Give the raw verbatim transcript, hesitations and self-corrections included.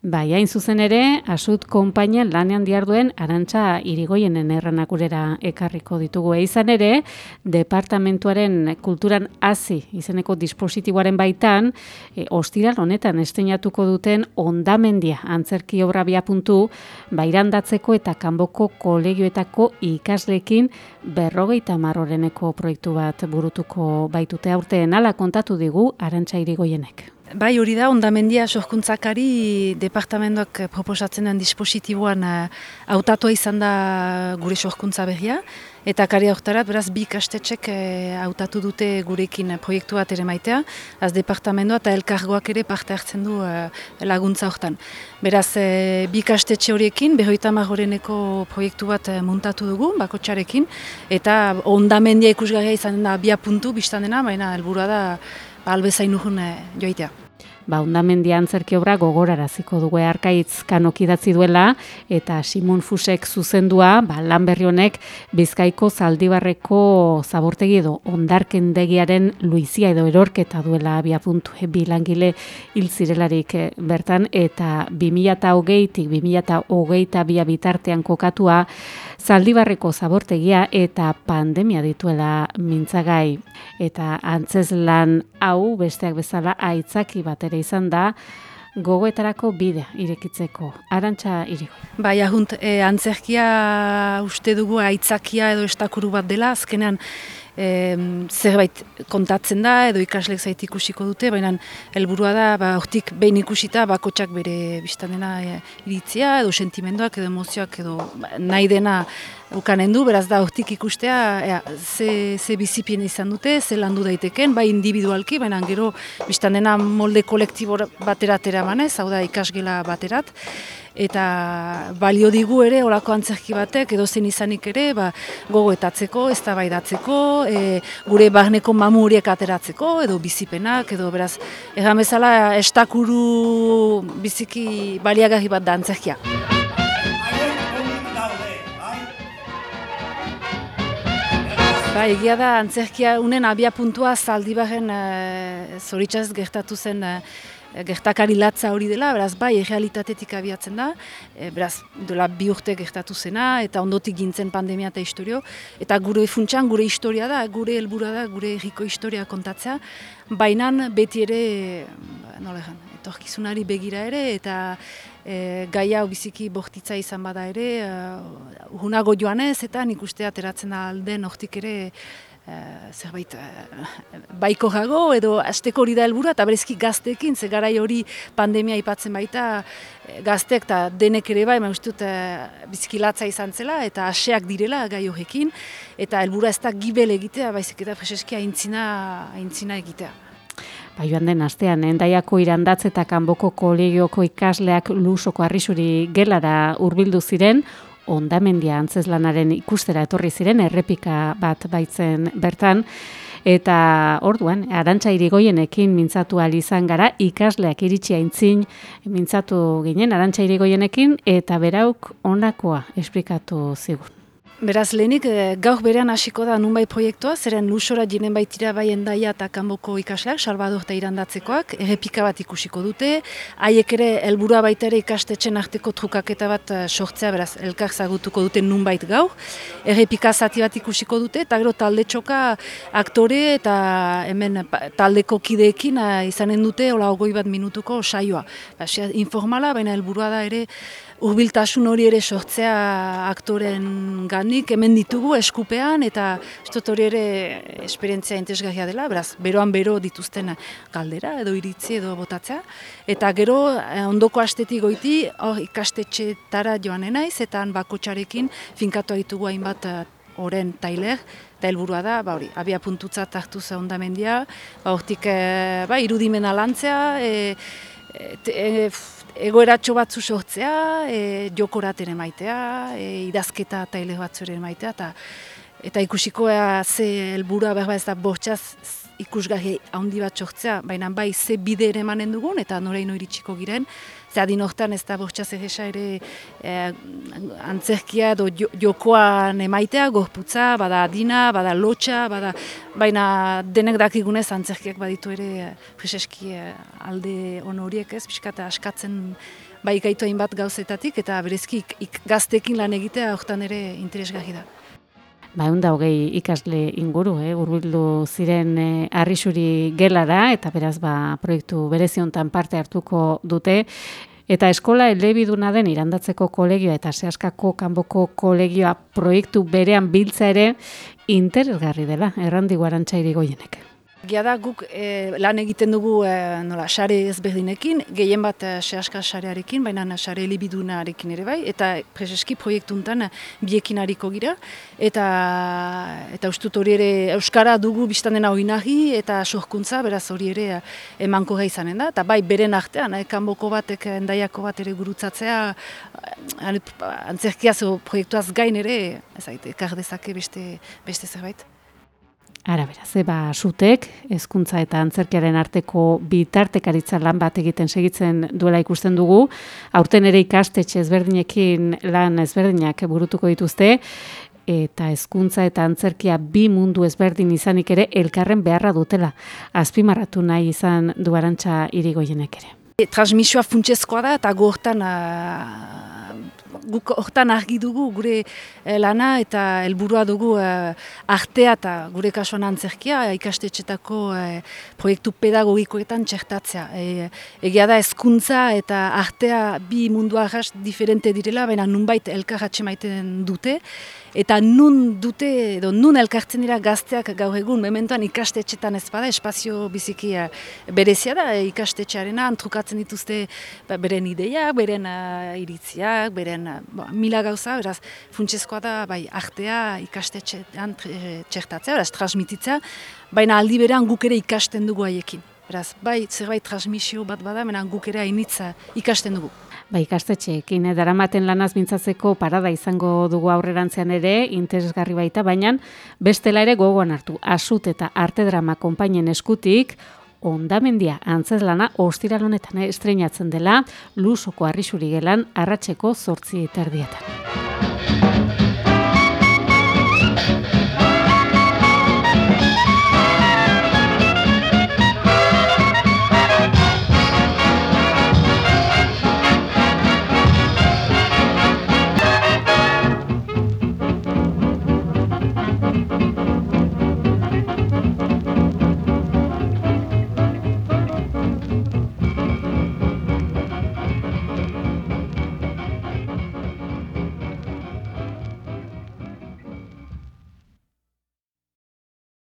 Bai, hain zuzen ere, Asut konpainian lanean diharduen Arantxa Irigoyenen erranakurera ekarriko ditugu. E izan ere, departamentuaren kulturan hazi izeneko dispositiboaren baitan, e, ostiral honetan estreinatuko duten Hondamendia antzerki obra abiapuntu, bairandatzeko eta kanboko kolegioetako ikasleekin berrogeita hamar oreneko proiektu bat burutuko baitute aurten, hala kontatu digu Arantxa Irigoyenek. Bai, hori da, Hondamendia sorkuntzakari departamentoak proposatzen den dispositiboan hautatua izan da gure sorkuntza berria, eta kari hortarat, beraz, bi ikastetxek hautatu dute gurekin proiektu bat ere maitea, az departamentoa eta elkargoak ere parte hartzen du laguntza hortan. Beraz, bi ikastetxe horiekin, berrogeita hamar oreneko proiektu bat muntatu dugu, bakotxarekin, eta Hondamendia ikusgarria izan da abia puntu biztan dena, baina helburua da albezain urrun joitea. Ba, Hondamendia antzerki obra gogoraraziko dugu Arkaitz Kanok idatzi duela eta Simon Fusek zuzendua, ba, lan berri honek Bizkaiko Zaldibarreko zabortegi edo hondarkendegiaren luizia edo erorketa duela abiapuntu bi langile hil zirelarik bertan, eta bi mila hogeitik bi mila hogeita bi bitartean kokatua Zaldibarreko zabortegia eta pandemia dituela mintzagai. Eta antzezlan hau besteak bezala aitzaki bat ere izan da gogoetarako bidea irekitzeko. Arantxa Irigoyen. Bai, ahunt, e, antzerkia uste dugu aitzakia edo estakuru bat dela, azkenean e, zerbait kontatzen da edo ikaslek zait ikusiko dute, baina helburua da, ba, hortik behin ikusita bakotxak bere biztan dena e, iritzia edo sentimenduak edo emozioak edo ba, nahi dena ukanen du, beraz da hortik ikustea ea, ze, ze bizipien izan dute, ze landu daiteken, bai individualki, baina gero biztan dena molde kolektibo baterat eramanez, hau da ikasgela baterat, eta balio digu ere olako antzerki batek edo zen izanik ere ba, gogoetatzeko, eztabaidatzeko, e, gure barneko mamu horiek ateratzeko edo bizipenak edo beraz egan bezala estakuru biziki baliagarri bat da antzerkia. Ba, egia da antzerkia unen abia puntua Zaldibarren e, zoritxaz gertatu zen e, gertakari latza hori dela, beraz bai, errealitatetik abiatzen da, e, beraz, dola bi urte gertatu zena, eta ondotik gintzen pandemia eta historio, eta gure funtsan gure historia da, gure helburua da, gure herriko historia kontatzea, bainan beti ere, nola egan, etorkizunari begira ere, eta e, gai hau biziki bortitza izan bada ere, uh, urrunago joanez, eta nik uste ateratzen da alden hortik ere, Uh, zerbait uh, baiko jago edo asteko hori da helburua eta berezki gazteekin, ze garai hori pandemia aipatzen baita gazteek eta denek ere bai, uste dut uh, bizkilatza izan zela eta aseak direla gai horrekin eta helburua ez da gibel egitea, baizik eta preseski aintzina, aintzina egitea. Ba, joan den astean, Hendaiako Irandatz eta Kanboko kolegioko ikasleak Lusoko Arrisuri gelara hurbildu ziren, Hondamendia antzezlanaren ikustera etorri ziren, errepika bat baitzen bertan, eta orduan, Arantxa Irigoyenekin mintzatu ahal izan gara, ikasleak iritsi aintzin mintzatu ginen Arantxa Irigoyenekin, eta berauk honakoa esplikatu zigun. Beraz, lehenik, gaur berean hasiko da nunbai proiektua, zeren Lusora jinen baitira bai Hendaia eta Kanboko ikasleak, Salvador eta Irandatzekoak, errepika bat ikusiko dute, haiek ere helburua baita ere ikastetxen arteko trukaketa bat sortzea, beraz, elkar zagutuko dute nunbait gaur, errepika zati bat ikusiko dute, eta gero talde txoka aktore eta hemen taldeko kideekin izanen dute, hola ogoi bat minutuko saioa. Ba, informala, baina helburua da ere, hurbiltasun hori ere sortzea aktoren ganik, hemen ditugu eskupean, eta estot hori ere esperientzia interesgarria dela, beraz, beroan bero dituzten galdera edo iritzi edo botatzea. Eta gero, ondoko astetik goiti, hor ikastetxetara joan naiz, eta bakotxarekin finkatu ditugu hainbat oren tailer, eta helburua da, ba hori, abia puntutzat hartu za Hondamendia, ba hortik, e, ba, irudimena lantzea, e, e, egoeratxo batzu sortzea, e, jokorat ere maitea, e, idazketa taile batzu ere maitea, eta, eta ikusiko ea ze helburua berba ez da bortxaz ikusgarri handi bat sortzea, baina bai ze bide ere emanen dugun, eta noreino iritsiko giren, ze adin hortan ez da bortxaz egesa ere e, antzerkia edo jo, jokoan emaitea, gorputza, bada adina, bada lotxa, bada, baina denek dakigunez antzerkiak baditu ere preseski alde on horiek ez, pixka eta askatzen bai gaitu hainbat gauzetatik, eta berezki ik, ik, gaztekin lan egitea hortan ere interesgarri da. Ba, egun da hogei ikasle inguru, eh? Hurbildu ziren eh, Arrisuri gelara, eta beraz ba, proiektu berezi hontan parte hartuko dute. Eta eskola elebiduna den Irandatzeko kolegioa eta Seaskako kanboko kolegioa proiektu berean biltza ere interesgarri dela, errandigu Arantxa Irigoienek. Gia da guk e, lan egiten dugu e, nola, sare ezberdinekin, gehien bat e, Seaska sarearekin, baina sare elibidunarekin ere bai, eta prezeski proiektuntan biekin hariko gira, eta eta ustut hori ere Euskara dugu biztan dena oinarri eta sorkuntza, beraz hori ere emankorra izanen da, eta bai beren artean, eh, kanboko batek endaiako bat ere gurutzatzea, antzerkiaz o proiektuaz gain ere, ezagite, ekar dezake beste, beste zerbait. Ara beraz, eba sutek, hezkuntza eta antzerkiaren arteko bitartekaritza lan bat egiten segitzen duela ikusten dugu. Aurten ere ikastetxe ezberdinekin lan ezberdinak burutuko dituzte, eta hezkuntza eta antzerkia bi mundu ezberdin izanik ere elkarren beharra dutela. Azpimarratu nahi izan du Arantxa Irigoienek ere. E, transmisioa funtsezkoa da, eta gu hortan guk hortan argi dugu gure lana eta helburua dugu uh, artea eta gure kasuan antzerkia ikastetxetako uh, proiektu pedagogikoetan txertatzea. E, egia da hezkuntza eta artea bi mundu arras diferente direla, baina nunbait elkar atxemaiten dute, eta nun dute, edo nun elkartzen dira gazteak gaur egun, mementoan ikastetxetan ez bada, espazio biziki uh, berezia da, ikastetxearena, trukatzen dituzte ba, beren ideiak, beren uh, iritziak, beren uh, Bo, mila gauza, beraz, funtsezkoa da, bai, artea ikastetxean txertatzea, beraz, transmititzea, baina aldi berean guk ere ikasten dugu haiekin. Beraz, bai, zerbait transmisio bat bada, baina guk ere hainitza ikasten dugu. Ba, ikastetxeekin, eh, daramaten lanaz mintzatzeko parada izango dugu aurrerantzean ere, interesgarri baita, baina bestela ere gogoan hartu, Asut eta Arte Drama konpainien eskutik, Hondamendia antzezlana ostiral honetan estreinatzen dela Lusoko Arrisuri gelan arratseko zortzi terdietan.